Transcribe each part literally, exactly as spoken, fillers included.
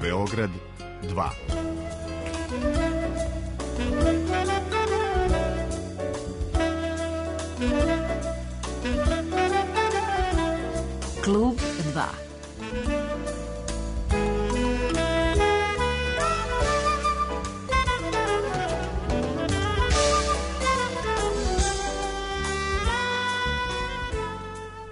Beograd dva. Klub dva.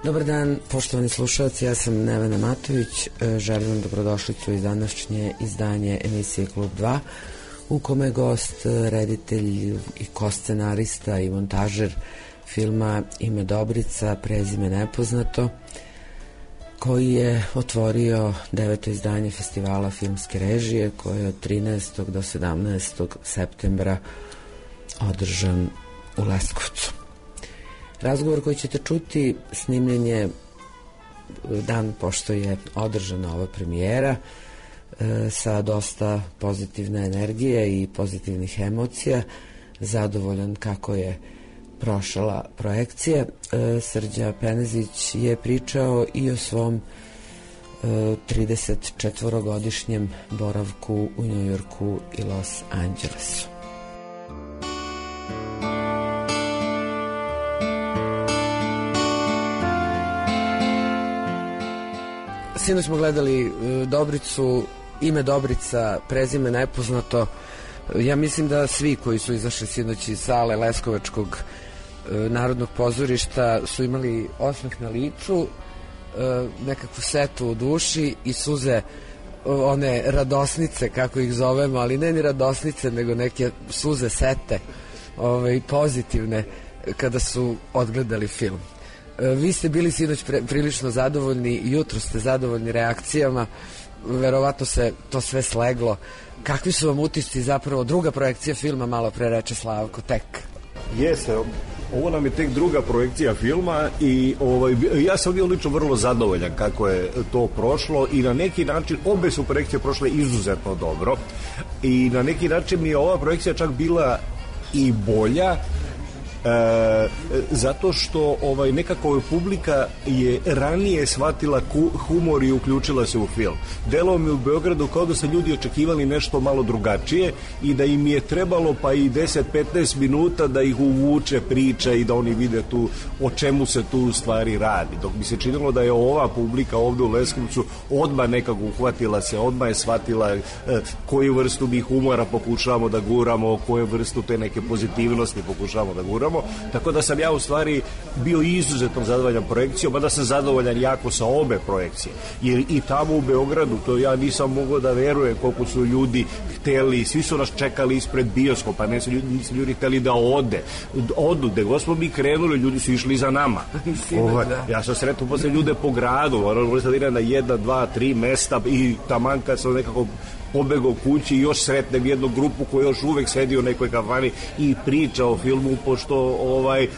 Dobar dan, poštovani slušalci, ja sam Nevena Matović, želim vam dobrodošlicu iz današnje izdanje emisije Klub dva, u kome je gost reditelj i koscenarista i montažer filma Ime Dobrica, prezime nepoznato, koji je otvorio deveto izdanje festivala filmske režije, koje je od trinaestog do sedamnaestog septembra održan u Leskovcu. Razgovor koji ćete čuti snimljen je dan pošto je održana ova premijera, e, sa dosta pozitivne energije i pozitivnih emocija, zadovoljan kako je prošla projekcija. E, Srđa Penezić je pričao i o svom e, trideset četvorogodišnjem boravku u Njujorku i Los Angelesu. Sinoć smo gledali Dobricu, Ime Dobrica, prezime nepoznato. Ja mislim da svi koji su izašli sinoć iz sale Leskovačkog narodnog pozorišta su imali osmeh na licu, nekakvu setu u duši i suze, one radosnice, kako ih zovemo, ali ne ni radosnice, nego neke suze sete, ove, pozitivne, kada su odgledali film. Vi ste bili sinoć pre, prilično zadovoljni, jutro ste zadovoljni reakcijama, verovatno se to sve sleglo. Kakvi su vam utisci, zapravo druga projekcija filma, malo pre reče Slavko, tek? Jeste, ovo nam je tek druga projekcija filma i ovaj, ja sam bio lično vrlo zadovoljan kako je to prošlo i na neki način obe su projekcije prošle izuzetno dobro i na neki način mi je ova projekcija čak bila i bolja, E, zato što ovaj, nekako publika je ranije shvatila ku, humor i uključila se u film. Delo mi u Beogradu kao da su ljudi očekivali nešto malo drugačije i da im je trebalo pa i deset do petnaest minuta da ih uvuče priča i da oni vide tu o čemu se tu u stvari radi. Dok mi se činilo da je ova publika ovde u Leskovcu odmah nekako uhvatila se, odmah je shvatila e, koju vrstu mi humora pokušavamo da guramo, koju vrstu te neke pozitivnosti pokušavamo da guramo. Tako da sam ja u stvari bio izuzetno zadovoljan projekcijom, a da sam zadovoljan jako sa obe projekcije. Jer i tamo u Beogradu, to ja nisam mogao da verujem koliko su ljudi hteli, svi su nas čekali ispred bioskopa, ne su ljudi, nisu ljudi hteli da ode. Odu, gde god smo mi krenuli, ljudi su išli za nama. Ovaj, ja sam sretno posle ljude po gradu, morali sam da idem na jedna, dva, tri mesta i taman kad sam nekako pobegao kući i još sretnem jednu grupu koja još uvek sedi u nekoj kafani i priča o filmu, pošto ovaj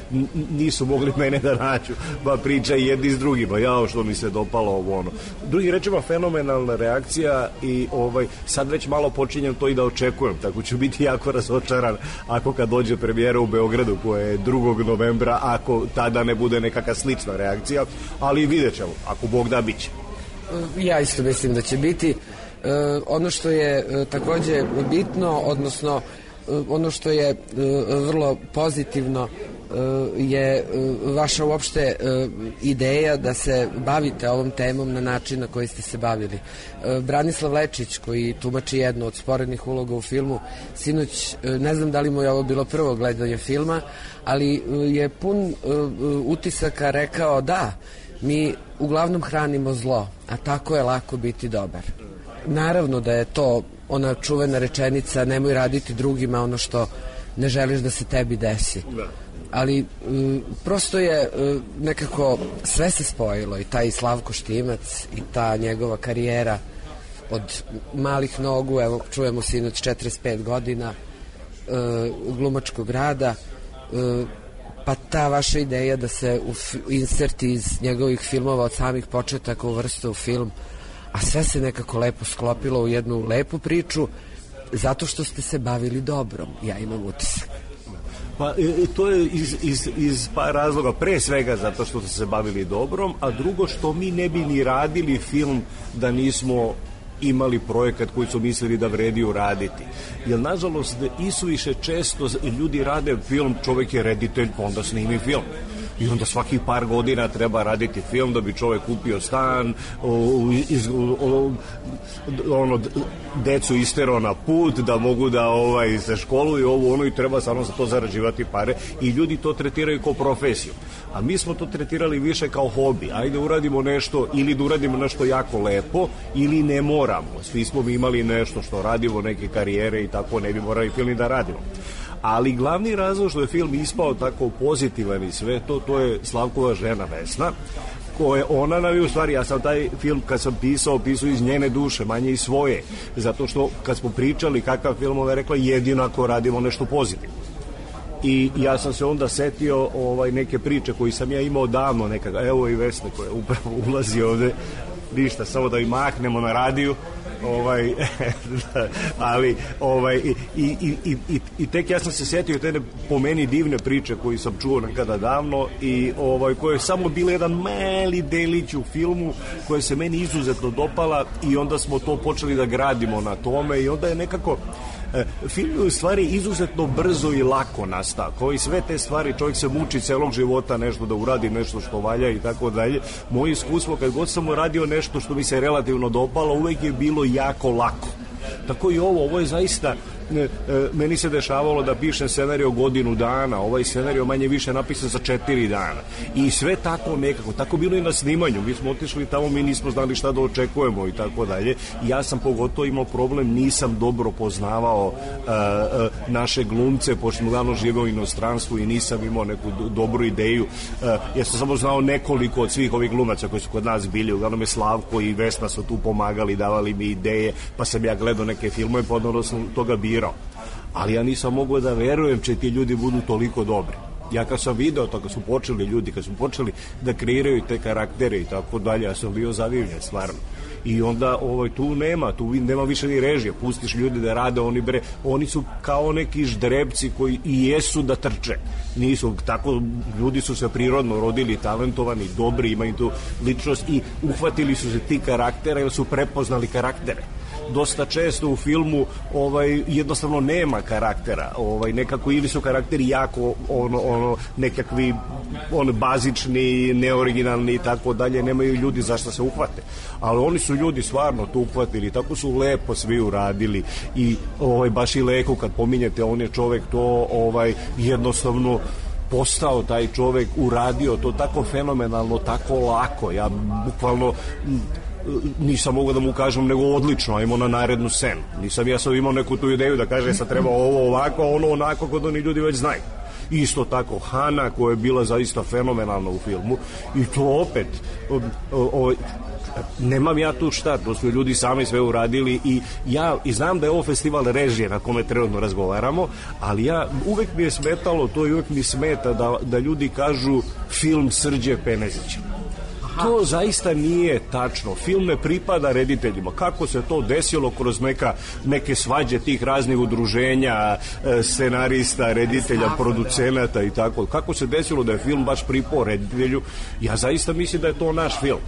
nisu mogli mene da nađu, pa priča i jedni s drugima, jao što mi se dopalo ovo ono. Drugi rečima, fenomenalna reakcija i ovaj sad već malo počinjem to i da očekujem, tako ću biti jako razočaran ako kad dođe premijera u Beogradu koja je drugog novembra, ako tada ne bude nekakva slična reakcija, ali vidjet ćemo, ako Bog da biće. Ja isto mislim da će biti. Uh, ono što je uh, takođe bitno, odnosno uh, ono što je uh, vrlo pozitivno uh, je uh, vaša uopšte uh, ideja da se bavite ovom temom na način na koji ste se bavili. Uh, Branislav Lečić, koji tumači jednu od sporednih uloga u filmu, sinoć, uh, ne znam da li mu je ovo bilo prvo gledanje filma, ali uh, je pun uh, utisaka rekao da, mi uglavnom hranimo zlo, a tako je lako biti dobar. Naravno da je to ona čuvena rečenica nemoj raditi drugima ono što ne želiš da se tebi desi. Ali m, prosto je m, nekako sve se spojilo i taj Slavko Štimac i ta njegova karijera od malih nogu, evo čujemo sinoć četrdeset pet godina e, glumačkog rada, e, pa ta vaša ideja da se u, inserti iz njegovih filmova od samih početaka uvrste u film, a sve se nekako lepo sklopilo u jednu lepu priču zato što ste se bavili dobrom, ja imam utisak. Pa e, to je iz, iz, iz par razloga, pre svega zato što ste se bavili dobrom, a drugo što mi ne bi ni radili film da nismo imali projekat koji su mislili da vredi uraditi. Jer nažalost isuviše često ljudi rade film, čovjek je reditelj pa onda snimi film. I onda svakih par godina treba raditi film da bi čovjek kupio stan, o, iz, o, ono, decu isterao na put, da mogu da ovaj, se školuju ovo ono i treba samo za to zarađivati pare i ljudi to tretiraju kao profesiju. A mi smo to tretirali više kao hobi. Ajde uradimo nešto ili da uradimo nešto jako lepo ili ne moramo. Svi smo mi imali nešto što radimo, neke karijere i tako ne bi morali film da radimo. Ali glavni razlog što je film ispao tako pozitivan i sve to, to je Slavkova žena Vesna, koje ona nam je u stvari, ja sam taj film kad sam pisao, pisao iz njene duše, manje iz svoje, zato što kad smo pričali kakav film, ona je rekla jedino ako radimo nešto pozitivno. I ja sam se onda setio ovaj, neke priče koji sam ja imao davno, nekada, evo i Vesna koja upravo ulazi ovde, ništa, samo da i mahnemo na radiju, ovaj, ali ovaj, i, i, i, i, i tek ja sam se setio te po meni divne priče koji sam čuo nekada davno i ovaj, koje je samo bila jedan mali delić u filmu koja se meni izuzetno dopala i onda smo to počeli da gradimo na tome i onda je nekako film je u stvari izuzetno brzo i lako nastao. Kao i sve te stvari, čovjek se muči celog života nešto da uradi, nešto što valja i tako dalje. Moje iskustvo, kad god sam uradio nešto što mi se relativno dopalo, uvek je bilo jako lako. Tako i ovo, ovo je zaista, e, meni se dešavalo da pišem scenarij godinu dana, ovaj scenarij manje više napisan za četiri dana. I sve tako nekako, tako bilo i na snimanju. Mi smo otišli tamo, mi nismo znali šta da očekujemo i tako dalje. I ja sam pogotovo imao problem, nisam dobro poznavao uh, uh, naše glumce, pošto smo glavno živeo u inostranstvu i nisam imao neku do, dobru ideju. Uh, ja sam samo znao nekoliko od svih ovih glumaca koji su kod nas bili, uglavnom je Slavko i Vesna su tu pomagali, davali mi ideje, pa sam ja gledao neke filmove, pa odnosno sam toga birao. Ali ja nisam mogao da verujem će ti ljudi budu toliko dobri. Ja kad sam video to, kad su počeli ljudi, kad su počeli da kreiraju te karaktere i tako dalje, ja sam bio zadivljen, stvarno. I onda ovaj, tu nema, tu nema više ni režije, pustiš ljudi da rade, oni bre, oni su kao neki ždrebci koji i jesu da trče. Nisu, tako, ljudi su se prirodno rodili, talentovani, dobri, imaju tu ličnost i uhvatili su se ti karaktera jer su prepoznali karaktere. Dosta često u filmu ovaj jednostavno nema karaktera, ovaj nekako ili su karakteri jako ono ono nekakvi on bazični, neoriginalni i tako dalje, nemaju ljudi za šta se uhvate. Ali oni su ljudi stvarno tu uhvatili, tako su lepo svi uradili i ovaj baš i Leku kad pominjete, on je čovek to ovaj jednostavno postao taj čovek, uradio to tako fenomenalno, tako lako. Ja bukvalno nisam mogao da mu kažem nego odlično, ajmo na narednu scenu. Nisam ja sam imao neku tu ideju da kaže sad treba ovo ovako, ono onako, kod oni ljudi već znaju. Isto tako Hana koja je bila zaista fenomenalna u filmu i to opet o, o, o, nemam ja tu šta, to su ljudi sami sve uradili i ja i znam da je ovo festival režije na kome trenutno razgovaramo, ali ja uvek mi je smetalo to i uvek mi smeta da, da ljudi kažu film Srđe Penezića. To zaista nije tačno. Film ne pripada rediteljima. Kako se to desilo kroz neka, neke svađe tih raznih udruženja, scenarista, reditelja, producenata i tako. Kako se desilo da je film baš pripao reditelju? Ja zaista mislim da je to naš film.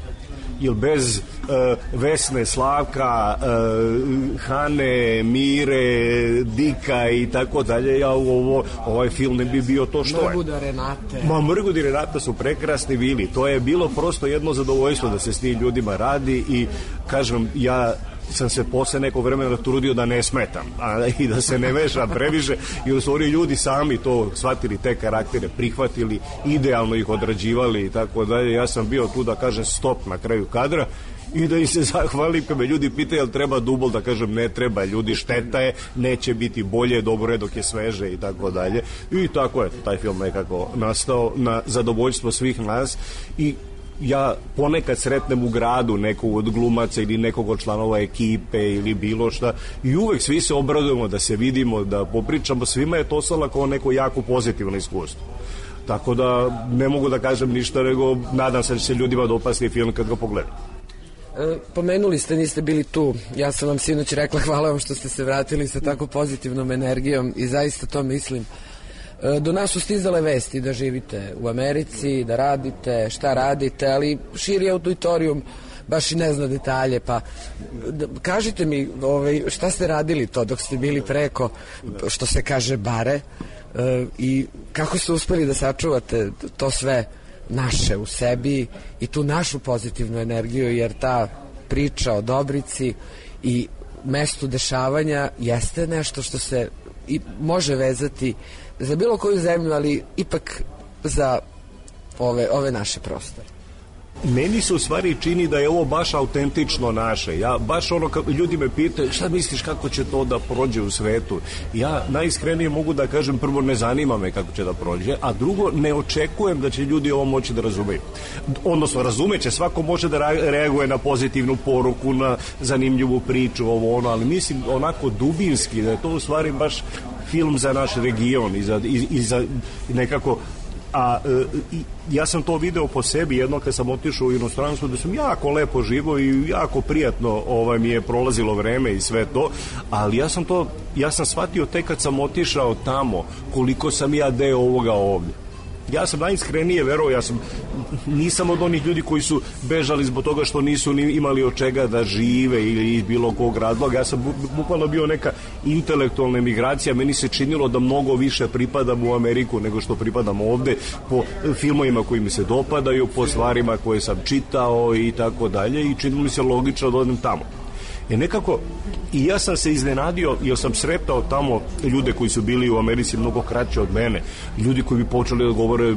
Jer bez uh, Vesne, Slavka, uh, Hane, Mire, Dika i tako dalje, ja ovo, ovaj film ne bi bio to što je. Mrguda Renate. Ma, Mrgud i Renata su prekrasni bili. To je bilo prosto jedno zadovoljstvo da se s tim ljudima radi i kažem, ja sam se posle nekog vremena trudio da ne smetam a, i da se ne mešam previše i su oni ljudi sami to shvatili, te karaktere prihvatili, idealno ih odrađivali i tako dalje. Ja sam bio tu da kažem stop na kraju kadra i da im se zahvalim kad me ljudi pitaju jel treba dubol, da kažem ne treba, ljudi, šteta je, neće biti bolje, dobro je dok je sveže i tako dalje. I tako je taj film nekako nastao na zadovoljstvo svih nas i ja ponekad sretnem u gradu nekog od glumaca ili nekog od članova ekipe ili bilo šta i uvek svi se obradujemo da se vidimo, da popričamo, svima je to ostalo kao neko jako pozitivno iskustvo. Tako da ne mogu da kažem ništa, nego nadam se da će se ljudima dopasti film kad ga pogledam. E, pomenuli ste, niste bili tu, ja sam vam sinoć rekla hvala vam što ste se vratili sa tako pozitivnom energijom i zaista to mislim. Do nas su stizale vesti da živite u Americi, da radite, šta radite, ali širi auditorijum baš i ne zna detalje, pa kažite mi ovaj, šta ste radili to dok ste bili preko, što se kaže, bare, i kako ste uspeli da sačuvate to sve naše u sebi i tu našu pozitivnu energiju, jer ta priča o Dobrici i mestu dešavanja jeste nešto što se i može vezati za bilo koju zemlju, ali ipak za ove, ove naše prostore. Meni se u stvari čini da je ovo baš autentično naše. Ja baš ono, ljudi me pitaju šta misliš kako će to da prođe u svetu. Ja najiskrenije mogu da kažem, prvo, ne zanima me kako će da prođe, a drugo, ne očekujem da će ljudi ovo moći da razumeju. Odnosno, razumeće, svako može da reaguje na pozitivnu poruku, na zanimljivu priču, ovo ono, ali mislim onako dubinski da je to u stvari baš film za naš region i za, i, i za nekako. A e, ja sam to video po sebi jedno kad sam otišao u inostranstvo, da sam jako lepo živo i jako prijatno ovaj, mi je prolazilo vreme i sve to, ali ja sam to ja sam shvatio tek kad sam otišao tamo koliko sam ja deo ovoga ovdje. Ja sam najiskrenije verovao, ja sam nisam od onih ljudi koji su bežali zbog toga što nisu ni imali od čega da žive ili iz bilo kog razloga. Ja sam bukvalno bio neka intelektualna emigracija, meni se činilo da mnogo više pripadam u Ameriku nego što pripadam ovde, po filmovima koji mi se dopadaju, po stvarima koje sam čitao i tako dalje, i činilo mi se logično da odem tamo. I nekako, i ja sam se iznenadio, jer sam sretao tamo ljude koji su bili u Americi mnogo kraće od mene, ljudi koji bi počeli da govore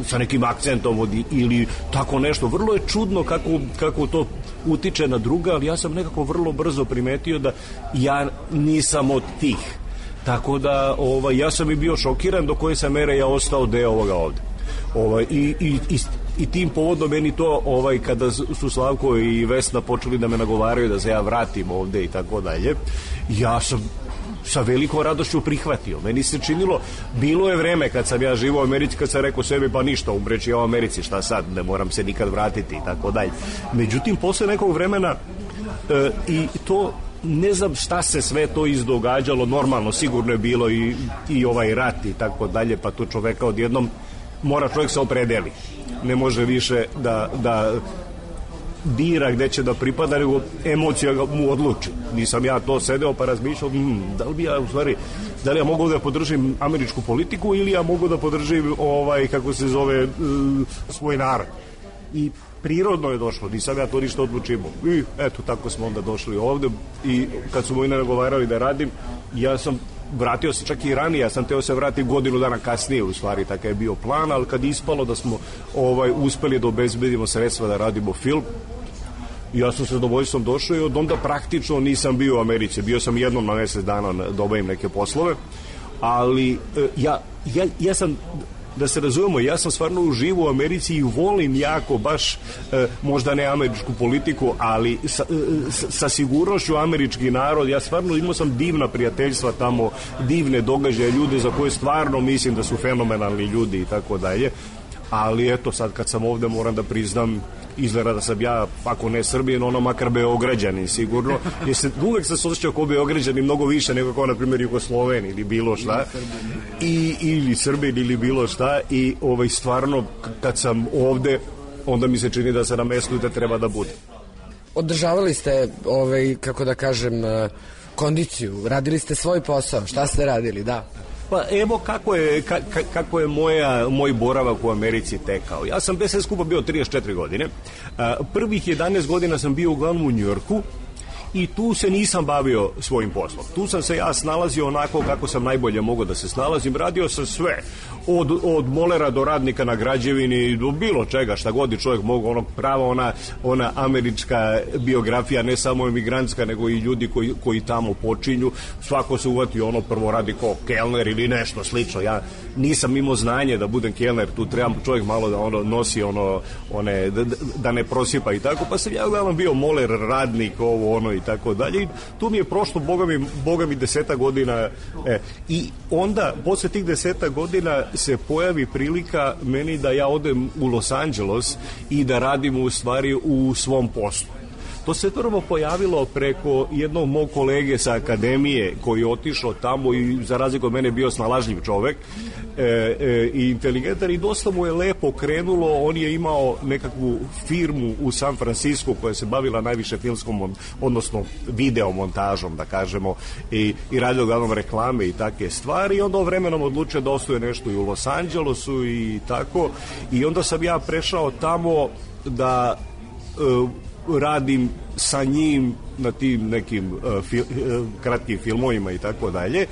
sa nekim akcentom ili tako nešto. Vrlo je čudno kako, kako to utiče na druga, ali ja sam nekako vrlo brzo primetio da ja nisam od tih. Tako da ovaj, ja sam i bio šokiran do koje sam mere ja ostao deo ovoga ovde. Ovaj, i, i, i I tim povodom meni to, ovaj, kada su Slavko i Vesna počeli da me nagovaraju da se ja vratim ovde i tako dalje, ja sam sa velikom radošću prihvatio. Meni se činilo, bilo je vreme kad sam ja živao u Americi, kad sam rekao sebi, pa ništa, umreći ja u Americi, šta sad, ne moram se nikad vratiti i tako dalje. Međutim, posle nekog vremena e, i to, ne znam šta se sve to izdogađalo, normalno, sigurno je bilo i, i ovaj rat i tako dalje, pa to čoveka odjednom mora čovjek se opredeli. Ne može više da, da bira gde će da pripada, nego emocija mu odluči. Nisam ja to sedeo pa razmišljao, hm, da li bi ja u stvari, da li ja mogu da podržim američku politiku ili ja mogu da podržim ovaj, kako se zove, svoj narod. I prirodno je došlo, nisam ja to ništa odlučimo. I eto, tako smo onda došli ovde i kad su moji nagovarali da radim, ja sam vratio se čak i ranije, ja sam teo se vratiti godinu dana kasnije, u stvari takav je bio plan, ali kad ispalo da smo ovaj, uspeli da obezbedimo sredstva da radimo film, ja sam se zadovoljstvom došao i od onda praktično nisam bio u Americi, bio sam jednom na mesec dana da obavim neke poslove, ali ja, ja, ja sam, da se razumemo, ja sam stvarno uživo u Americi i volim jako baš, e, možda ne američku politiku, ali sa, sa, sa sigurnošću američki narod. Ja stvarno imao sam divna prijateljstva tamo, divne događaje, ljude za koje stvarno mislim da su fenomenalni ljudi i tako dalje. Ali eto, sad kad sam ovde moram da priznam, izgleda da sam ja, ako ne Srbijan, ono makar Beograđanin sigurno, jer se, uvek sam se osjećao kao Beograđanin mnogo više nego kao na primjer Jugosloven ili bilo šta, i, ili Srbin ili bilo šta, i ovaj, stvarno kad sam ovde, onda mi se čini da se na mestu da treba da bude. Održavali ste, ovaj, kako da kažem, kondiciju, radili ste svoj posao, šta ste radili, da? Pa evo kako je, ka, kako je moja, moj boravak u Americi tekao. Ja sam bez sve skupa bio trideset četiri godine. Prvih jedanaest godina sam bio uglavnom u Njujorku i tu se nisam bavio svojim poslom. Tu sam se ja snalazio onako kako sam najbolje mogao da se snalazim. Radio sam sve. Od, od molera do radnika na građevini, do bilo čega, šta god je čovjek mogu, ono prava ona, ona američka biografija, ne samo emigrantska, nego i ljudi koji, koji tamo počinju. Svako se uvati, ono prvo radi kao kelner ili nešto slično. Ja nisam imao znanje da budem kelner, tu trebam čovjek malo da ono nosi ono, one, da, da ne prosipa i tako, pa sam ja uglavnom bio moler, radnik, ovo, ono i tako dalje. I tu mi je prošlo, boga mi, boga mi deseta godina, e, i onda, posle tih deseta godina se pojavi prilika meni da ja odem u Los Angeles i da radim u stvari u svom poslu. To se prvo pojavilo preko jednog mog kolege sa akademije koji je otišao tamo i za razliku od mene bio snalažljiv čovek e, e, i inteligentan i dosta mu je lepo krenulo. On je imao nekakvu firmu u San Francisco koja se bavila najviše filmskom, odnosno videomontažom, da kažemo, i, i radio uglavnom reklame i takve stvari i onda vremenom odlučio da osnuje nešto i u Los Angelesu i tako i onda sam ja prešao tamo da e, radim sa njim na tim nekim uh, fil, uh, kratkim filmovima i tako dalje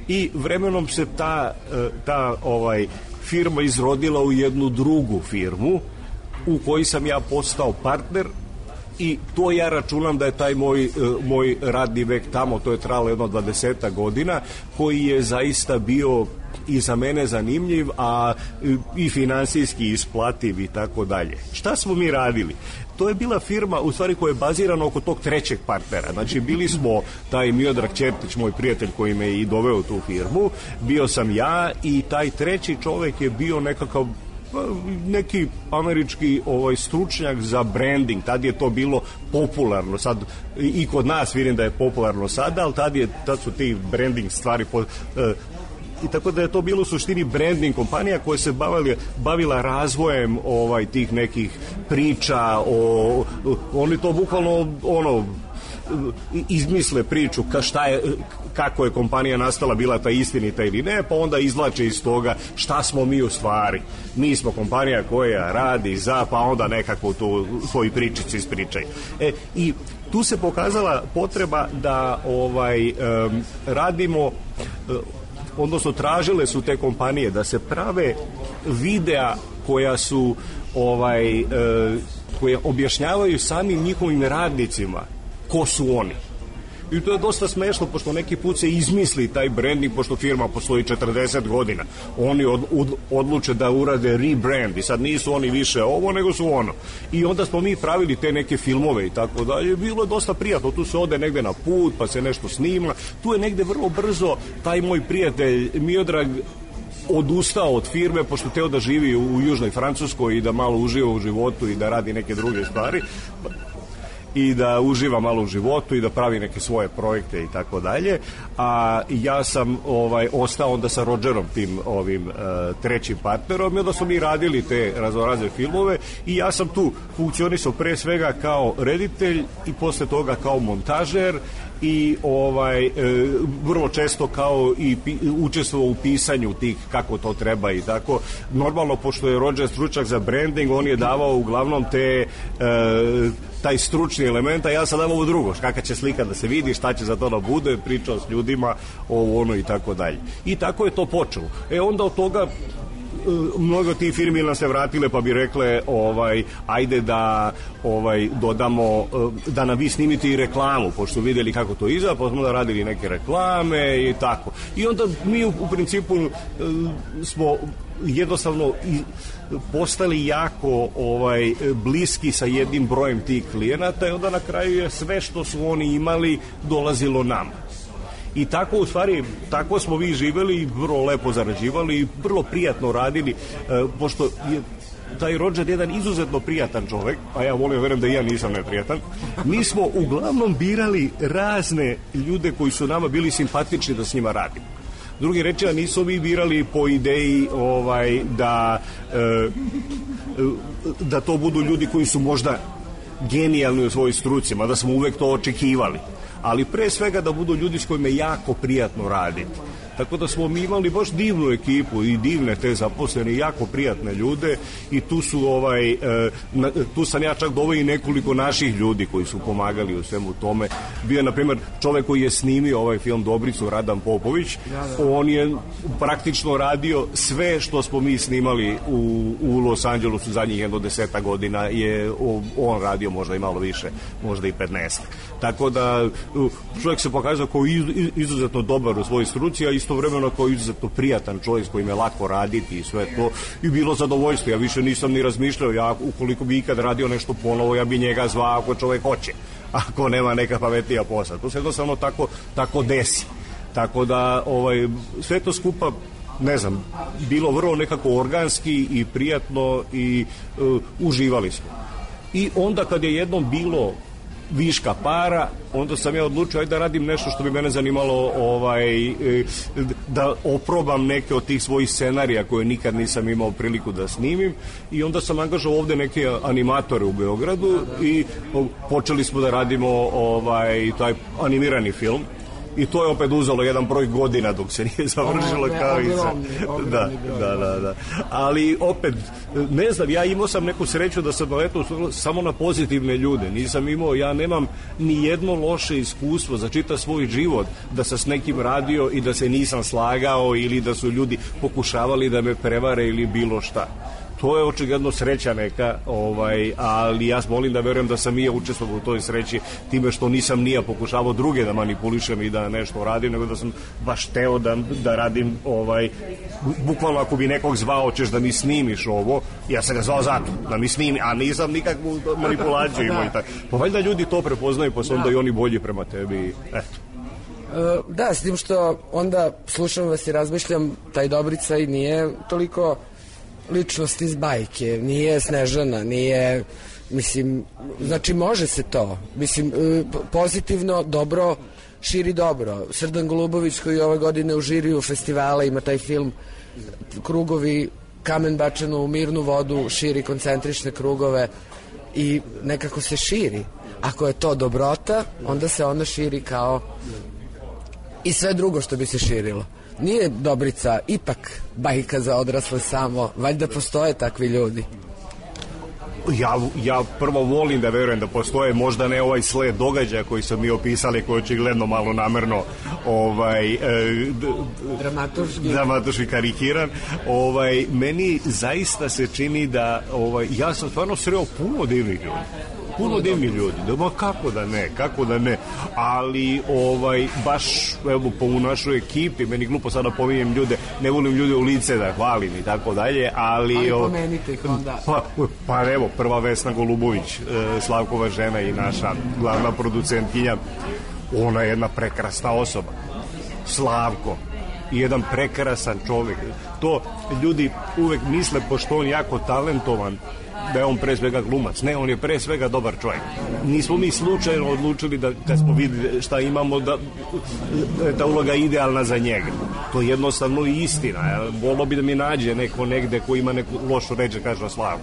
i vremenom se ta, uh, ta ovaj, firma izrodila u jednu drugu firmu u kojoj sam ja postao partner i to ja računam da je taj moj, uh, moj radni vek tamo, to je trajalo jedno dvadesetak godina, koji je zaista bio i za mene zanimljiv, a i finansijski isplativ i tako dalje. Šta smo mi radili? To je bila firma, u stvari, koja je bazirana oko tog trećeg partnera. Znači, bili smo taj Miodrag Čertić, moj prijatelj koji me i doveo u tu firmu, bio sam ja i taj treći čovek je bio nekakav neki američki ovaj stručnjak za branding. Tad je to bilo popularno. Sad i kod nas vidim da je popularno sada, ali tad, je, tad su ti branding stvari po, eh, i tako da je to bilo u suštini branding kompanija koja se bavila, bavila razvojem ovaj tih nekih priča o, oni to bukvalno ono izmisle priču ka šta je, kako je kompanija nastala, bila ta istinita ili ne, pa onda izvlače iz toga šta smo mi u stvari. Mi smo kompanija koja radi za, pa onda nekako tu svoji pričici ispričaju. E, i tu se pokazala potreba da ovaj um, radimo um, odnosno tražile su te kompanije da se prave videa koja su ovaj, e, koje objašnjavaju samim njihovim radnicima ko su oni. I to je dosta smešno, pošto neki put se izmisli taj branding, pošto firma postoji četrdeset godina. Oni od, od, odluče da urade rebrand i sad nisu oni više ovo, nego su ono. I onda smo mi pravili te neke filmove i tako dalje. Bilo je dosta prijatno. Tu se ode negde na put, pa se nešto snima. Tu je negde vrlo brzo taj moj prijatelj Miodrag odustao od firme, pošto teo da živi u južnoj Francuskoj i da malo uživa u životu i da radi neke druge stvari i da uživa malo u životu i da pravi neke svoje projekte i tako dalje. A ja sam ovaj ostao onda sa Rogerom, tim ovim uh, trećim partnerom, i onda smo mi radili te raznorazne filmove i ja sam tu funkcionisao pre svega kao reditelj i posle toga kao montažer i ovaj e, vrlo često kao i pi, učestvovao u pisanju tih kako to treba i tako. Normalno, pošto je Roger stručnjak za branding, on je davao uglavnom te e, taj stručni element, a ja sam davao ovo drugo, kakva će slika da se vidi, šta će za to da bude, pričao s ljudima, ovo ono i tako dalje. I tako je to počelo. E onda od toga mnogo tih firmi nam se vratile pa bi rekle ovaj ajde da ovaj dodamo da nam vi snimite i reklamu, pošto videli kako to izgleda, pa smo da radili neke reklame i tako. I onda mi u, u principu smo jednostavno postali jako ovaj bliski sa jednim brojem tih klijenata i onda na kraju je sve što su oni imali dolazilo nam. I tako, u stvari, tako smo vi živeli i vrlo lepo zarađivali i vrlo prijatno radili, e, pošto je taj Roger jedan izuzetno prijatan čovek, a ja volim, verujem da i ja nisam neprijatan. Mi smo uglavnom birali razne ljude koji su nama bili simpatični da s njima radimo. Drugi reči, a nisu mi birali po ideji ovaj, da, e, da to budu ljudi koji su možda genijalni u svojoj struci, mada smo uvek to očekivali. Ali pre svega da budu ljudi s kojima je jako prijatno raditi. Tako da smo mi imali baš divnu ekipu i divne te zaposlene, jako prijatne ljude i tu su ovaj, e, na, tu sam ja čak doveo i nekoliko naših ljudi koji su pomagali u svemu tome. Bio je, na primjer, čovek koji je snimio ovaj film Dobricu, Radan Popović. Da, da. On je praktično radio sve što smo mi snimali u, u Los Angelesu zadnjih jedno deseta godina je on radio, možda i malo više, možda i petnaest. Tako da čovjek se pokazao kao izuzetno dobar u svojoj struci, a istovremeno kao izuzetno prijatan čovjek s kojim je lako raditi i sve to. I bilo zadovoljstvo. Ja više nisam ni razmišljao. Ja, ukoliko bi ikad radio nešto ponovo, ja bi njega zvao ako čovjek hoće. Ako nema neka pametnija posla. To se jednostavno tako, tako desi. Tako da ovaj, sve to skupa, ne znam, bilo vrlo nekako organski i prijatno i uh, uživali smo. I onda kad je jednom bilo viška para, onda sam ja odlučio ajde da radim nešto što bi mene zanimalo, ovaj, da oprobam neke od tih svojih scenarija koje nikad nisam imao priliku da snimim, i onda sam angažao ovde neke animatore u Beogradu i počeli smo da radimo ovaj, taj animirani film. I to je opet uzelo jedan broj godina dok se nije završilo, kao i sa... Da, da, da, da. Ali opet, ne znam, ja imao sam neku sreću da sam naletao samo na pozitivne ljude. Nisam imao, ja nemam ni jedno loše iskustvo za čitav svoj život da sam s nekim radio i da se nisam slagao ili da su ljudi pokušavali da me prevare ili bilo šta. To je očigledno sreća neka, ovaj, ali ja molim da verujem da sam i ja učestvovao u toj sreći time što nisam nija pokušavao druge da manipulišem i da nešto radim, nego da sam baš teo da, da radim, ovaj, bukvalno ako bi nekog zvao ćeš da mi snimiš ovo, ja sam ga zvao zato, da mi snimi, a nisam nikakvu manipulaciju imao i tako. Pa valjda ljudi to prepoznaju, pa su onda i oni bolji prema tebi, eto. Da, s tim što onda slušam vas i razmišljam, taj Dobrica i nije toliko ličnost iz bajke, nije Snežana, nije, mislim, znači može se to, mislim, pozitivno, dobro, širi dobro. Srdan Golubović koji ove godine u žiriju festivala ima taj film Krugovi, kamen bačen u mirnu vodu, širi koncentrične krugove i nekako se širi. Ako je to dobrota, onda se ona širi kao i sve drugo što bi se širilo. Nije Dobrica ipak bajka za odrasle samo, valjda postoje takvi ljudi. Ja, ja prvo volim da verujem da postoje, možda ne ovaj sled događaja koji su mi opisali, koji je očigledno malo namerno ovaj, e, d, dramatuški. dramatuški karikiran. Ovaj, meni zaista se čini da ovaj, ja sam stvarno sreo puno divnih ljudi. Puno divnih ljudi, da ma kako da ne, kako da ne, ali ovaj, baš evo po u našoj ekipi, meni glupo sada pominjem ljude, ne volim ljude u lice da hvalim i tako dalje, ali... Ali pomenite ih onda. Pa, pa evo, prva Vesna Golubović, Slavkova žena i naša glavna producentkinja, ona je jedna prekrasna osoba. Slavko, jedan prekrasan čovjek. To ljudi uvek misle, pošto on jako talentovan, da je on pre svega glumac. Ne, on je pre svega dobar čovjek. Nismo mi slučajno odlučili da kad smo vidjeli šta imamo da je ta uloga idealna za njega. To je jednostavno istina. Volio bi da mi nađe neko negde ko ima neku lošu reč da kaže o Slavu.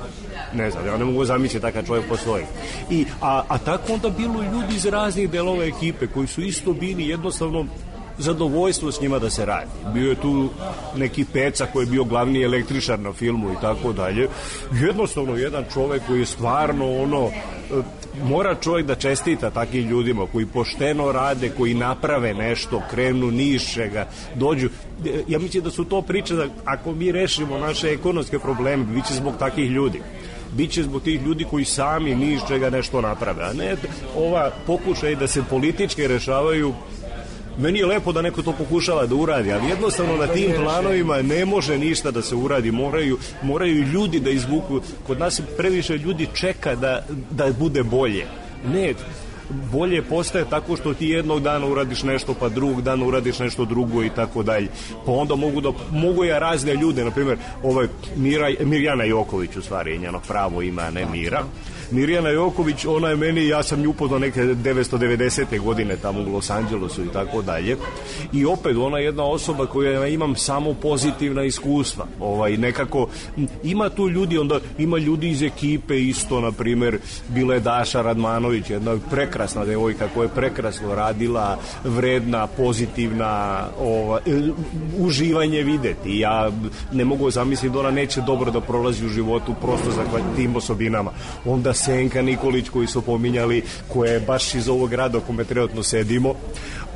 Ne znam, ja ne mogu zamisliti takav čovjek postoji. I, a, a tako onda bilo ljudi iz raznih delova ekipe koji su isto bili jednostavno zadovoljstvo s njima da se radi. Bio je tu neki Peca koji je bio glavni električar na filmu i tako dalje. Jednostavno jedan čovjek koji je stvarno ono, mora čovjek da čestita takvim ljudima koji pošteno rade, koji naprave nešto, krenu nišega, dođu. Ja mislim da su to priče da ako mi rešimo naše ekonomske probleme, bit će zbog takvih ljudi. Biće zbog tih ljudi koji sami ni iz čega nešto naprave, a ne ova pokušaj da se politički rešavaju. Meni je lepo da neko to pokušava da uradi, ali jednostavno na tim planovima ne može ništa da se uradi, moraju, moraju ljudi da izvuku. Kod nas previše ljudi čeka da, da bude bolje. Ne, bolje postaje tako što ti jednog dana uradiš nešto, pa drugog dana uradiš nešto drugo i tako dalje. Pa onda mogu da mogu ja razne ljude, na primjer, ovaj Mira, Mirjana Joković, u stvari je njeno pravo ime, a ne Mira. Mirjana Joković, ona je meni, ja sam nju upoznao neke devetsto devedesete godine tamo u Los Angelesu i tako dalje. I opet, ona je jedna osoba koja imam samo pozitivna iskustva. Ovaj, nekako, ima tu ljudi, onda ima ljudi iz ekipe isto, na primjer, bila je Daša Radmanović, jedna prekrasna devojka koja je prekrasno radila, vredna, pozitivna, ovaj, uživanje videti. Ja ne mogu zamisliti da ona neće dobro da prolazi u životu prosto za tim osobinama. Onda Senka Nikolić koji su pominjali, koja je baš iz ovog grada u kome trenutno sedimo,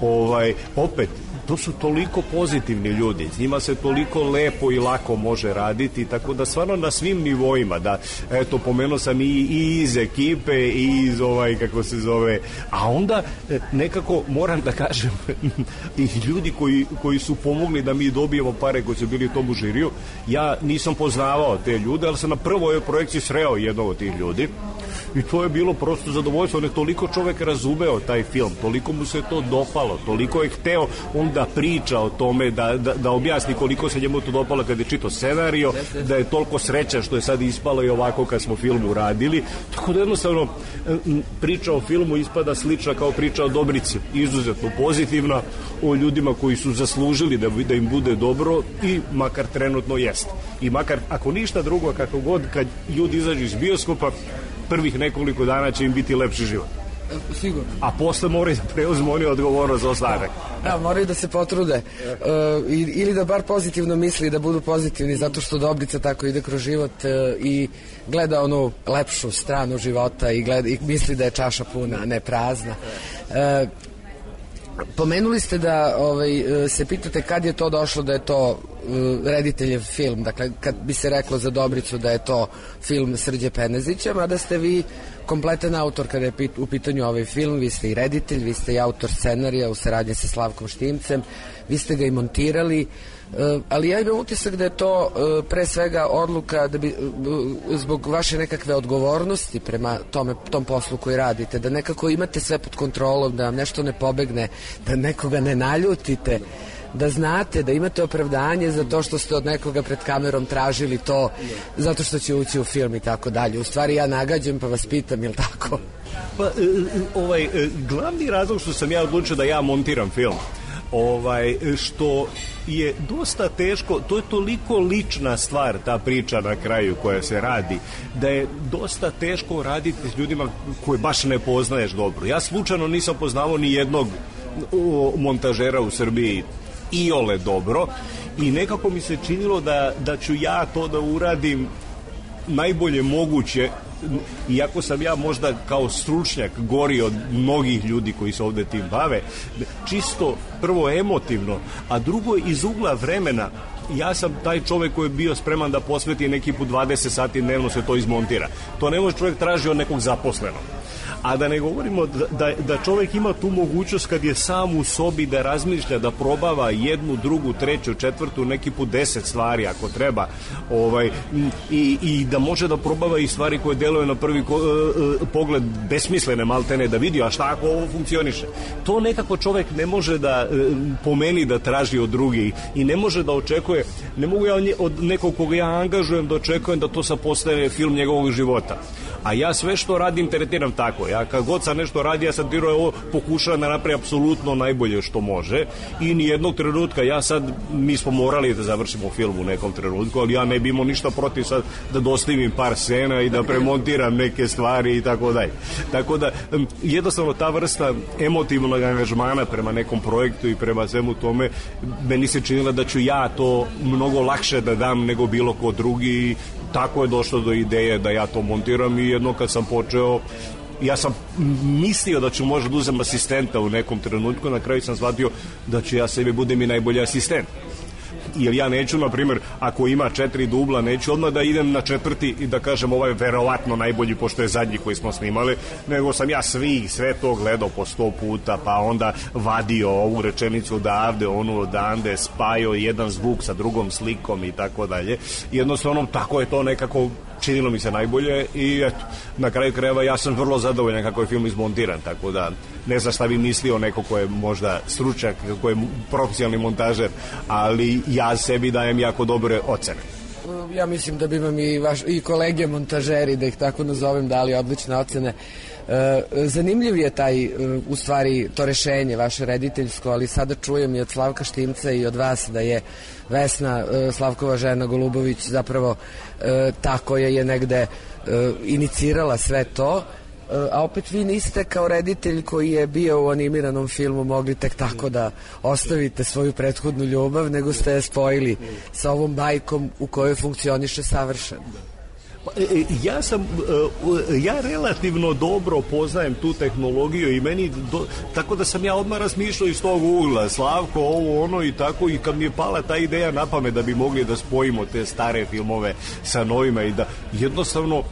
ovaj, opet to su toliko pozitivni ljudi, s njima se toliko lepo i lako može raditi, tako da stvarno na svim nivoima, da, eto, pomenuo sam i, i iz ekipe i iz ovaj, kako se zove, a onda nekako moram da kažem i ljudi koji, koji su pomogli da mi dobijemo pare koji su bili u tomu žiriju, ja nisam poznavao te ljude, ali sam na prvoj projekciji sreo jednog od tih ljudi i to je bilo prosto zadovoljstvo. On je toliko čovek razumeo taj film, toliko mu se to dopalo, toliko je hteo on da priča o tome, da, da, da objasni koliko se njemu to dopalo kad je čitao scenario, da je toliko srećan što je sad ispalo i ovako kad smo film uradili. Tako da jednostavno priča o filmu ispada slična kao priča o Dobrici, izuzetno pozitivna, o ljudima koji su zaslužili da, da im bude dobro i makar trenutno jeste. I makar, ako ništa drugo, kako god, kad ljudi izađu iz bioskopa, prvih nekoliko dana će im biti lepši život. Sigurno. A posle moraju da preuzmu oni odgovornost za ostatak. Da, moraju da se potrude. Uh, ili da bar pozitivno misli, da budu pozitivni, zato što Dobrica tako ide kroz život uh, i gleda onu lepšu stranu života i, gleda, i misli da je čaša puna, a ne prazna. Uh, Pomenuli ste da ovaj, se pitate kad je to došlo da je to uh, rediteljev film, dakle kad bi se reklo za Dobricu da je to film Srđe Penezića, mada ste vi kompletan autor kada je pit, u pitanju ovaj film, vi ste i reditelj, vi ste i autor scenarija u saradnji sa Slavkom Štimcem, vi ste ga i montirali, uh, ali ja imam utisak da je to uh, pre svega odluka da bi, uh, zbog vaše nekakve odgovornosti prema tome, tom poslu koji radite, da nekako imate sve pod kontrolom, da vam nešto ne pobegne, da nekoga ne naljutite, da znate, da imate opravdanje za to što ste od nekoga pred kamerom tražili to zato što će ući u film i tako dalje. U stvari ja nagađam pa vas pitam, je li tako? Pa, ovaj, glavni razlog što sam ja odlučio da ja montiram film, ovaj, što je dosta teško, to je toliko lična stvar, ta priča na kraju koja se radi, da je dosta teško raditi s ljudima koje baš ne poznaješ dobro. Ja slučajno nisam poznavao ni jednog montažera u Srbiji iole dobro i nekako mi se činilo da, da ću ja to da uradim najbolje moguće, iako sam ja možda kao stručnjak gori od mnogih ljudi koji se ovde tim bave, čisto prvo emotivno, a drugo iz ugla vremena. Ja sam taj čovek koji je bio spreman da posveti neki put dvadeset sati dnevno se to izmontira. To ne može čovek traži od nekog zaposlenog. A da ne govorimo da, da, da čovek ima tu mogućnost kad je sam u sobi da razmišlja, da probava jednu, drugu, treću, četvrtu, neki put deset stvari ako treba, ovaj, i, i da može da probava i stvari koje deluje na prvi ko, uh, pogled besmislene maltene, da vidi a šta ako ovo funkcioniše. To nekako čovek ne može da uh, pomeni da traži od drugih i ne može da očekuje, ne mogu ja od nekog koga ja angažujem da očekujem da to sad postane film njegovog života. A ja sve što radim tretiram tako. Ja kad god sam nešto radi, ja sam tiro ovo pokušavam da napravi apsolutno najbolje što može i nijednog trenutka, ja sad, mi smo morali da završimo film u nekom trenutku, ali ja ne bi imao ništa protiv sad da dostavim par scena i da premontiram neke stvari i tako dalje. Tako da, jednostavno ta vrsta emotivnog angažmana prema nekom projektu i prema svemu tome, meni se činila da ću ja to mnogo lakše da dam nego bilo ko drugi. Tako je došlo do ideje da ja to montiram i jedno kad sam počeo, ja sam mislio da ću možda da uzem asistenta u nekom trenutku, na kraju sam shvatio da ću ja sebi budem i najbolji asistent. Jer ja neću, na primjer, ako ima četiri dubla, neću odmah da idem na četvrti i da kažem ovo je verovatno najbolji pošto je zadnji koji smo snimali, nego sam ja svi, sve to gledao po sto puta, pa onda vadio ovu rečenicu odavde, onu odande, spajao jedan zvuk sa drugom slikom i tako dalje. Jednostavno, tako je to nekako činilo mi se najbolje i eto, na kraju krajeva ja sam vrlo zadovoljan kako je film izmontiran, tako da ne znam šta bi mislio neko ko je možda stručnjak, ko je profesionalni montažer, ali ja sebi dajem jako dobre ocene. Ja mislim da bi vam i, vaš, i kolege montažeri, da ih tako nazovem, dali odlične ocene. E, zanimljiv je taj, e, u stvari, to rešenje vaše rediteljsko, ali sada čujem i od Slavka Štimca i od vas da je Vesna, e, Slavkova žena Golubović, zapravo e, ta koja je negde e, inicirala sve to, a opet vi niste kao reditelj koji je bio u animiranom filmu mogli tek tako da ostavite svoju prethodnu ljubav, nego ste je spojili sa ovom bajkom u kojoj funkcioniše savršeno. Ja sam, ja relativno dobro poznajem tu tehnologiju i meni, do, tako da sam ja odmah razmišljao iz tog ugla, Slavko, ovo, ono i tako, i kad mi je pala ta ideja na pamet da bi mogli da spojimo te stare filmove sa novima i da jednostavno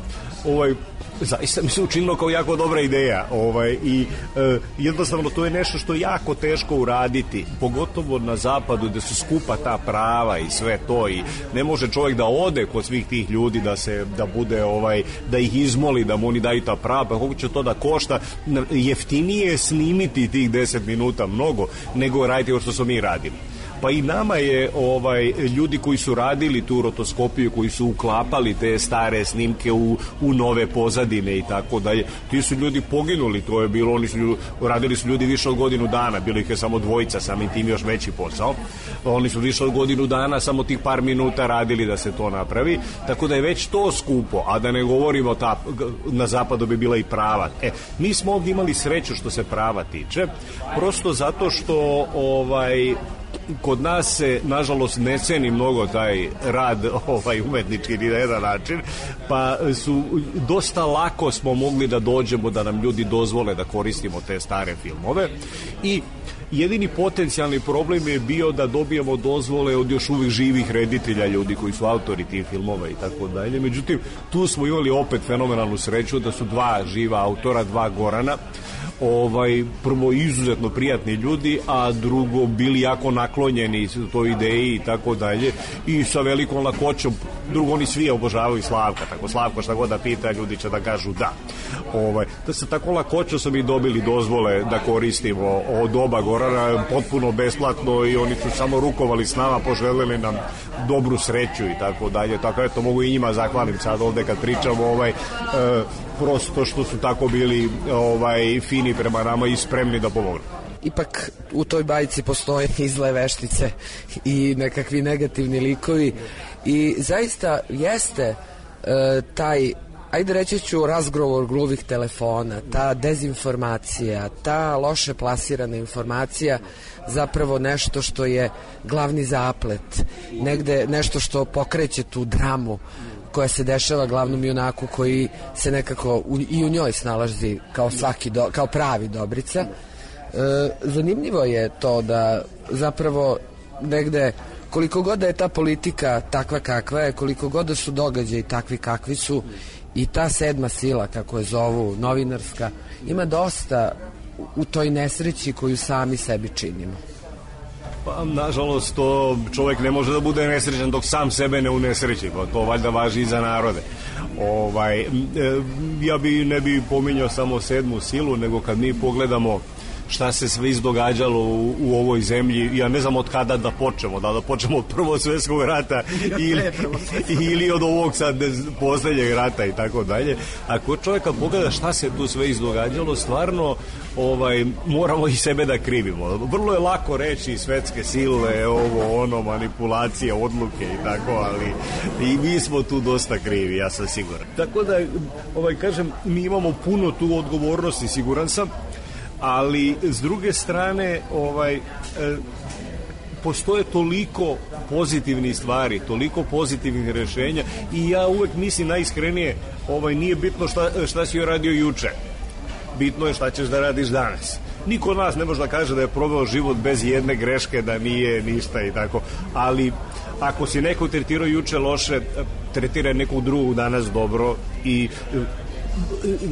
ovaj, zaista mi se učinilo kao jako dobra ideja ovaj, i e, jednostavno to je nešto što je jako teško uraditi, pogotovo na zapadu gde su skupa ta prava i sve to i ne može čovjek da ode kod svih tih ljudi da se da bude ovaj da ih izmoli da mu oni daju ta prava, pa koliko će to da košta. Jeftinije snimiti tih deset minuta mnogo nego raditi ovo što smo mi radili. Pa i nama je ovaj ljudi koji su radili tu rotoskopiju, koji su uklapali te stare snimke u, u nove pozadine i tako dalje, ti su ljudi poginuli, to je bilo, oni su ljudi, radili su ljudi više od godinu dana, bilo ih je samo dvojica, samim tim još veći posao, oni su više od godinu dana samo tih par minuta radili da se to napravi, tako da je već to skupo, a da ne govorimo ta, na zapadu bi bila i prava. E, mi smo ovdje imali sreću što se prava tiče, prosto zato što ovaj kod nas se, nažalost, ne ceni mnogo taj rad ovaj, umetnički ni na jedan način, pa su dosta lako smo mogli da dođemo da nam ljudi dozvole da koristimo te stare filmove i jedini potencijalni problem je bio da dobijemo dozvole od još uvijek živih reditelja, ljudi koji su autori tih filmova i tako dalje. Međutim, tu smo imali opet fenomenalnu sreću da su dva živa autora, dva Gorana, ovaj, prvo izuzetno prijatni ljudi, a drugo bili jako naklonjeni toj ideji i tako dalje i sa velikom lakoćom. Drugo, oni svi obožavaju Slavka, tako Slavko šta god da pita, ljudi će da kažu da. Ovaj, da se tako lakoćo su mi dobili dozvole da koristimo od oba Gorana potpuno besplatno i oni su samo rukovali s nama, poželjeli nam dobru sreću i tako dalje. Tako eto, mogu i njima zahvalim sad ovde kad pričamo ovaj, e, prosto što su tako bili ovaj, fini prema nama i spremni da pomognu. Ipak u toj bajci postoje i zle veštice i nekakvi negativni likovi i zaista jeste e, taj, ajde reći ću, razgovor gluvih telefona, ta dezinformacija, ta loše plasirana informacija zapravo nešto što je glavni zaplet, negde nešto što pokreće tu dramu koja se dešava glavnom junaku koji se nekako u, i u njoj snalazi kao svaki do, kao pravi Dobrica. E, zanimljivo je to da zapravo negde koliko god da je ta politika takva kakva je, koliko god da su događaji takvi kakvi su i ta sedma sila, kako je zovu, novinarska, ima dosta u toj nesreći koju sami sebi činimo. Pa, nažalost, to čovjek ne može da bude nesrećan dok sam sebe ne unesreći, pa to valjda važi i za narode. Ovaj, e, ja bi ne bi pominjao samo sedmu silu, nego kad mi pogledamo šta se sve izdogađalo u, u ovoj zemlji, ja ne znam od kada da počnemo, da da počnemo od Prvog svjetskog rata ili, ili od ovog sad posljednjeg rata i tako dalje. Ako čovjek kad pogleda šta se tu sve izdogađalo, stvarno ovaj, moramo i sebe da krivimo. Vrlo je lako reći svetske sile, ovo, ono, manipulacije, odluke i tako, ali i mi smo tu dosta krivi, ja sam siguran. Tako da, ovaj, kažem, mi imamo puno tu odgovornosti, siguran sam, ali s druge strane ovaj e, postoje toliko pozitivnih stvari, toliko pozitivnih rješenja i ja uvek mislim najiskrenije, ovaj nije bitno šta, šta si joj radio juče, bitno je šta ćeš da radiš danas. Niko od nas ne može da kaže da je proveo život bez jedne greške, da nije ništa i tako, ali ako si neko tretirao juče loše, tretira nekog drugog danas dobro i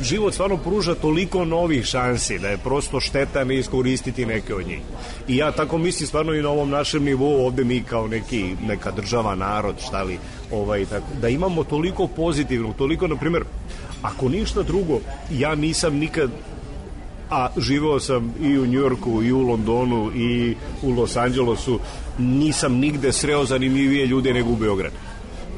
život stvarno pruža toliko novih šansi da je prosto šteta ne iskoristiti neke od njih. I ja tako mislim stvarno i na ovom našem nivou ovde mi kao neki, neka država, narod, šta li, ovaj, tako, da imamo toliko pozitivno, toliko, na primjer, ako ništa drugo, ja nisam nikad, a živeo sam i u Njujorku i u Londonu i u Los Angelesu, nisam nigde sreo zanimljivije ljude nego u Beogradu.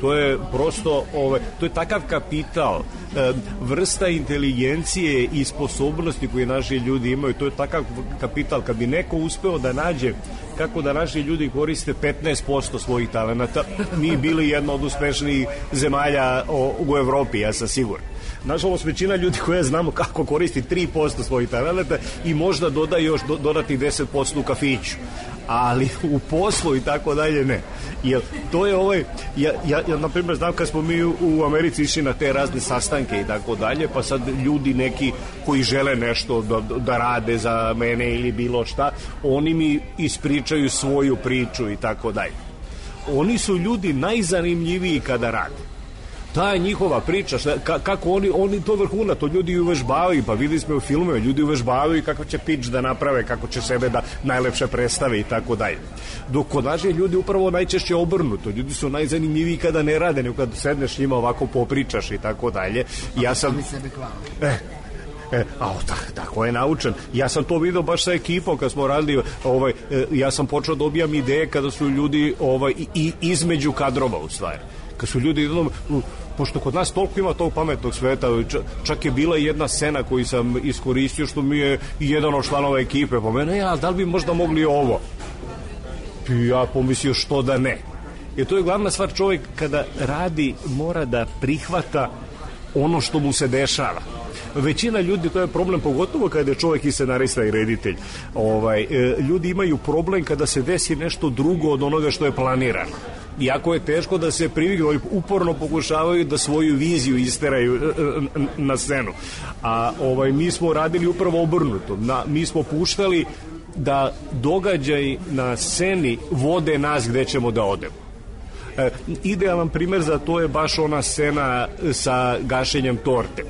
To je prosto, ovaj, to je takav kapital, e, vrsta inteligencije i sposobnosti koje naši ljudi imaju, to je takav kapital. Kad bi neko uspeo da nađe kako da naši ljudi koriste petnaest posto svojih talenata, mi bili jedna od uspešnijih zemalja o, u Evropi, ja sam siguran. Nažalost, većina ljudi koje znamo kako koristi tri posto svojih talenata i možda doda još do, dodati deset posto u kafiću, ali u poslu i tako dalje ne. Jer to je ovaj, ja, ja, ja na primjer znam kad smo mi u, u Americi išli na te razne sastanke i tako dalje, pa sad ljudi neki koji žele nešto da, da rade za mene ili bilo šta, oni mi ispričaju svoju priču i tako dalje. Oni su ljudi najzanimljiviji kada rade. ta je njihova priča, šta, ka, kako oni, oni to vrhuna, to ljudi uvežbavaju, pa videli smo u filmove, ljudi uvežbavaju kako će pitch da naprave, kako će sebe da najlepše predstave i tako dalje. Dok kod nas je ljudi upravo najčešće obrnuto, ljudi su najzanimljiviji kada ne rade, nego kada sedneš njima ovako popričaš i tako dalje. Ja sam... Eh, E, a tak, tako je naučen. Ja sam to vidio baš sa ekipom kad smo radili, ovaj, e, ja sam počeo dobijam ideje kada su ljudi ovaj, i, između kadrova u stvari. Kad su ljudi, pošto kod nas toliko ima tog pametnog sveta, čak je bila jedna scena koju sam iskoristio što mi je jedan od članova ekipe po mene, ja, da li bi možda mogli ovo? I ja pomislio što da ne. Jer to je glavna stvar, čovjek kada radi mora da prihvata ono što mu se dešava. Većina ljudi, to je problem pogotovo kada je čovjek i scenarista i reditelj, ovaj, e, ljudi imaju problem kada se desi nešto drugo od onoga što je planirano. Iako je teško da se priviknu, uporno pokušavaju da svoju viziju isteraju e, e, na scenu. A ovaj, mi smo radili upravo obrnuto. Na, mi smo puštali da događaj na sceni vode nas gde ćemo da odemo. E, idealan primjer za to je baš ona scena sa gašenjem torte.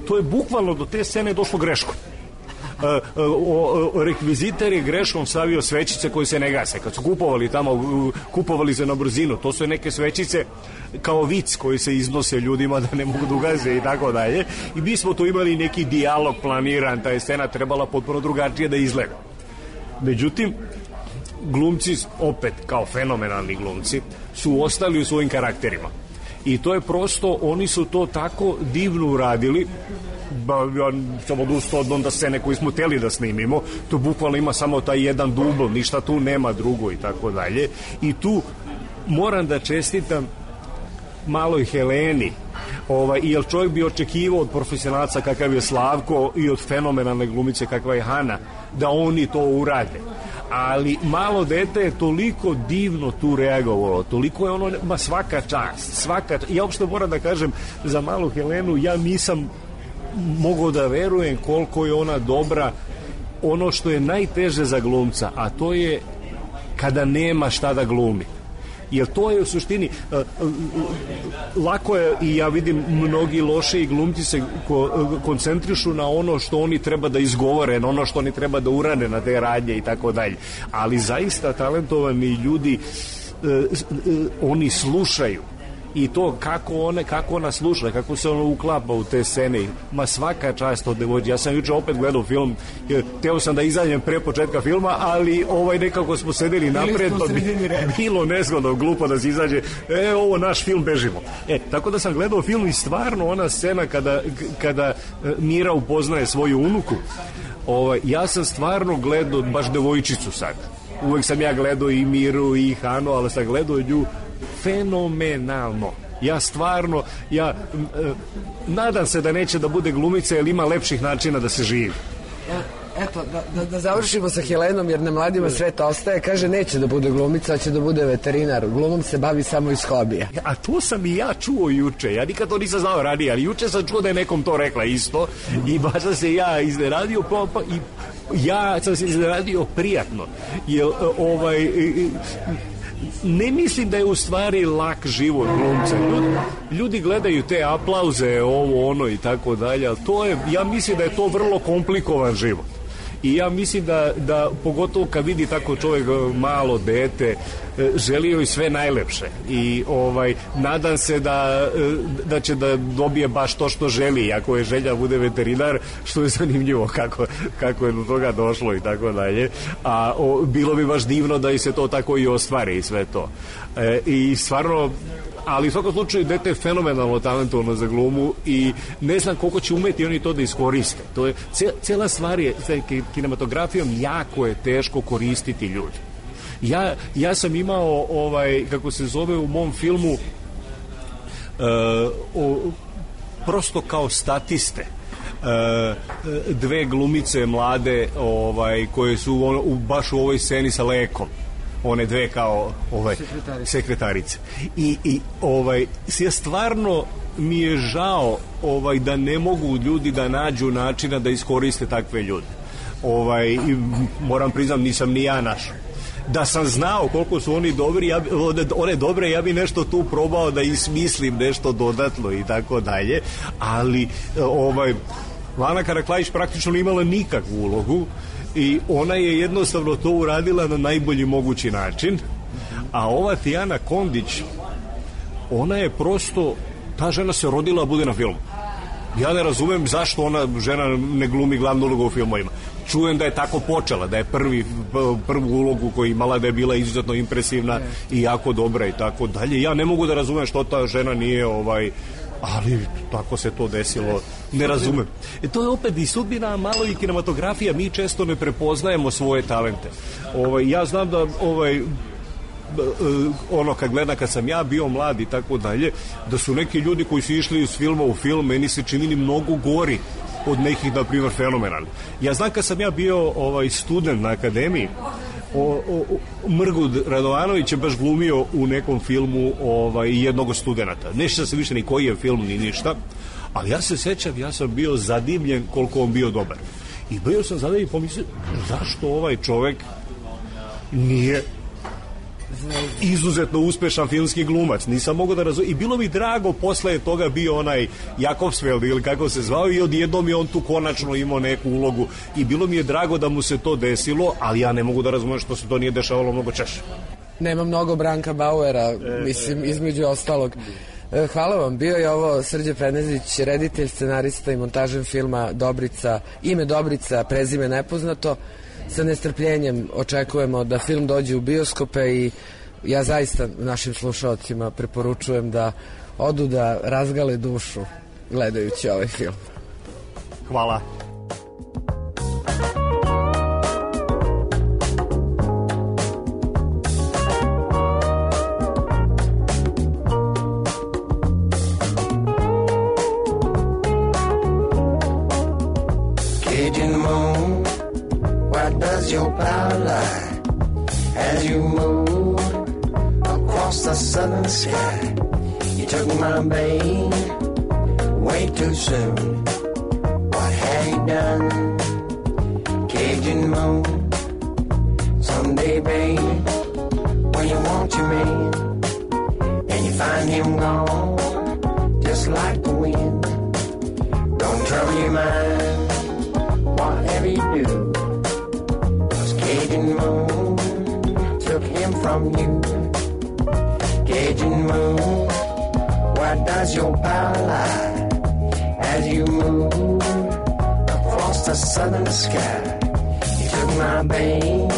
To je bukvalno do te scene došlo greškom. E, o, o, rekvizitar je greškom stavio svećice koje se ne gase. Kad su kupovali tamo, kupovali se na brzinu, to su neke svećice kao vic koji se iznose ljudima da ne mogu da ugase i tako dalje. I mi smo tu imali neki dijalog planiran, ta je scena trebala potpuno drugačije da izgleda. Međutim, glumci, opet kao fenomenalni glumci, su ostali u svojim karakterima. I to je prosto, oni su to tako divno uradili, ba, ja sam odustao od onda scene koju smo hteli da snimimo, to bukvalno ima samo taj jedan dubl, ništa tu nema drugo i tako dalje. I tu moram da čestitam maloj Heleni, ovaj, jer čovjek bi očekivao od profesionalca kakav je Slavko i od fenomenalne glumice kakva je Hana, da oni to urade. Ali malo dete je toliko divno tu reagovalo, toliko je ono, ma svaka čast, svaka čast. Ja uopšte moram da kažem za malu Helenu, ja nisam mogao da verujem koliko je ona dobra, ono što je najteže za glumca, a to je kada nema šta da glumi. Jer to je u suštini uh, uh, lako je, i ja vidim mnogi loši glumci se ko, uh, koncentrišu na ono što oni treba da izgovore, na ono što oni treba da urade na te radnje i tako dalje, ali zaista talentovani ljudi uh, uh, oni slušaju i to kako one, kako ona sluša, kako se ona uklapa u te scene, ma svaka čast od devojčice. Ja sam juče opet gledao film, teo sam da izađem pre početka filma, ali ovaj nekako smo sedeli napred, pa bi bilo nezgodno, glupo da se izađe, e, ovo naš film, bežimo. E, tako da sam gledao film i stvarno ona scena kada, kada Mira upoznaje svoju unuku, ovaj, ja sam stvarno gledao baš devojčicu sad. Uvek sam ja gledao i Miru i Hanu, ali sam gledao nju fenomenalno. Ja stvarno, ja e, nadam se da neće da bude glumica, jer ima lepših načina da se živi. Eto, da, da, da završimo sa Helenom, jer na mladima svet ostaje. Kaže, neće da bude glumica, a će da bude veterinar. Glumom se bavi samo iz hobija. A to sam i ja čuo juče. Ja nikad to nisam znao ranije, ali juče sam čuo da je nekom to rekla isto. I baš sam se ja iznenadio, pa, pa, i ja sam se iznenadio prijatno. Jer, ovaj... ne mislim da je u stvari lak život glumca. Ljudi, ljudi gledaju te aplauze, ovo, ono i tako dalje, ali to je, ja mislim da je to vrlo komplikovan život. I ja mislim da, da pogotovo kad vidi tako čovjek, malo dete, želi joj sve najlepše i ovaj, nadam se da, da će da dobije baš to što želi, ako je želja bude veterinar, što je zanimljivo kako, kako je do toga došlo i tako dalje, a o, bilo bi baš divno da i se to tako i ostvari i sve to. E, i stvarno, ali u svakom slučaju dete je fenomenalno talentovano za glumu i ne znam koliko će umeti oni to da iskoriste. To je, cijela stvar je, sa kinematografijom jako je teško koristiti ljudi. Ja, ja sam imao, ovaj, kako se zove u mom filmu, uh, o, prosto kao statiste, uh, dve glumice mlade, ovaj, koje su on, u, baš u ovoj sceni sa Lekom. One dve kao ovaj, sekretarice. sekretarice. I, i ovaj, ja stvarno mi je žao ovaj, da ne mogu ljudi da nađu načina da iskoriste takve ljude. Ovaj, moram priznam, nisam ni ja našao. da sam znao koliko su oni dobri, ja bi, one dobre, ja bi nešto tu probao da ismislim nešto dodatno i tako dalje, ali ovaj Lana Karaklajić praktično nije imala nikakvu ulogu i ona je jednostavno to uradila na najbolji mogući način, a ova Tijana Kondić, ona je prosto, ta žena se rodila da bude na filmu. Ja ne razumem zašto ona žena ne glumi glavnu ulogu u filmovima. Čujem da je tako počela, da je prvi, prvu ulogu koju imala, da je bila izuzetno impresivna i jako dobra i tako dalje. Ja ne mogu da razumem što ta žena nije ovaj, ali tako se to desilo, ne razumem. E, to je opet i sudbina, malo i kinematografija, mi često ne prepoznajemo svoje talente. Ovaj, ja znam da ovaj, ono kad gledam kad sam ja bio mlad i tako dalje, da su neki ljudi koji su išli iz filma u film meni se činili mnogo gori od nekih, na primjer, fenomenalni. Ja znam kad sam ja bio ovaj student na akademiji, o, o, Mrgud Radovanović je baš glumio u nekom filmu ovaj, jednog od studenata. Nešto se više ni koji je film ni ništa, ali ja se sećam, ja sam bio zadivljen koliko on bio dobar. I bio sam zadivljen i pomislio, zašto ovaj čovek nije izuzetno uspešan filmski glumac, nisam mogao da razumijem. I bilo mi drago, posle toga bio onaj Jakobsfeld ili kako se zvao i odjednom je on tu konačno imao neku ulogu i bilo mi je drago da mu se to desilo, ali ja ne mogu da razumijem što se to nije dešavalo mnogo češće. Nema mnogo Branka Bauera, mislim, između ostalog. Hvala vam, bio je ovo Srđe Penezić, reditelj, scenarista i montažer filma Dobrica, ime Dobrica, prezime nepoznato. Sa nestrpljenjem očekujemo da film dođe u bioskope i ja zaista našim slušalcima preporučujem da odu da razgale dušu gledajući ovaj film. Hvala. Does your power lie as you move across the southern sky? You took my babe way too soon. What have you done? Cajun moon. Someday, babe, when you want your man and you find him gone, just like the wind. Don't trouble your mind, whatever you do. Cajun moon took him from you. Cajun moon, where does your power lie as you move across the southern sky? You took my babe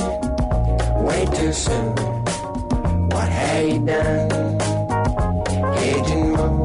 way too soon. What have you done, Cajun moon?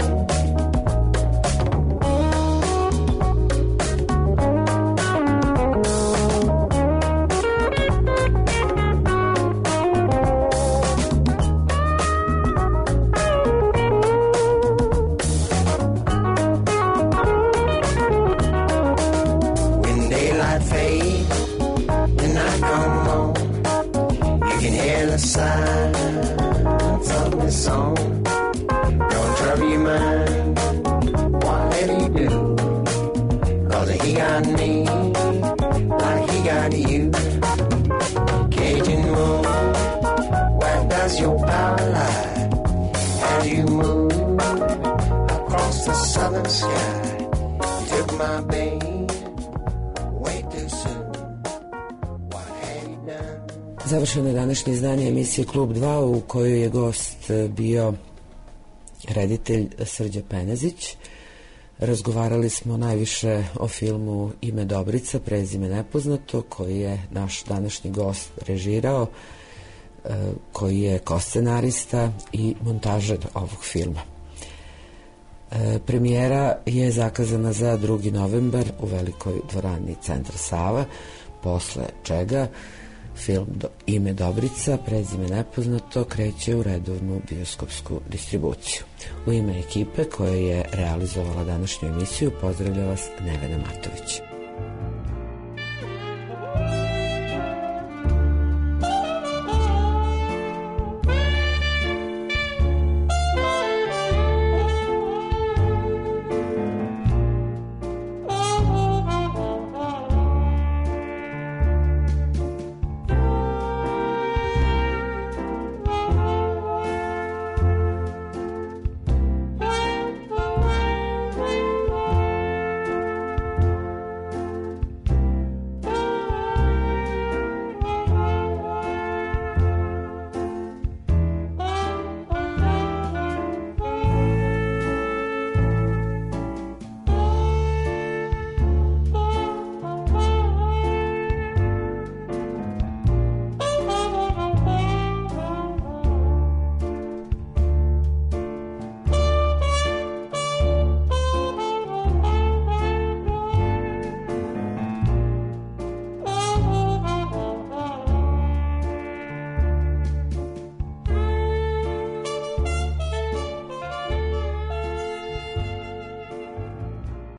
Završeno je današnje izdanje emisije Klub dva u kojoj je gost bio reditelj Srđe Penezić. Razgovarali smo najviše o filmu Ime Dobrica, prezime nepoznato, koji je naš današnji gost režirao, koji je koscenarista i montažer ovog filma. Premijera je zakazana za drugi novembar u velikoj dvorani Centar Sava, posle čega film do, Ime Dobrica, prezime nepoznato, kreće u redovnu bioskopsku distribuciju. U ime ekipe koja je realizovala današnju emisiju pozdravlja vas Nevena Matović.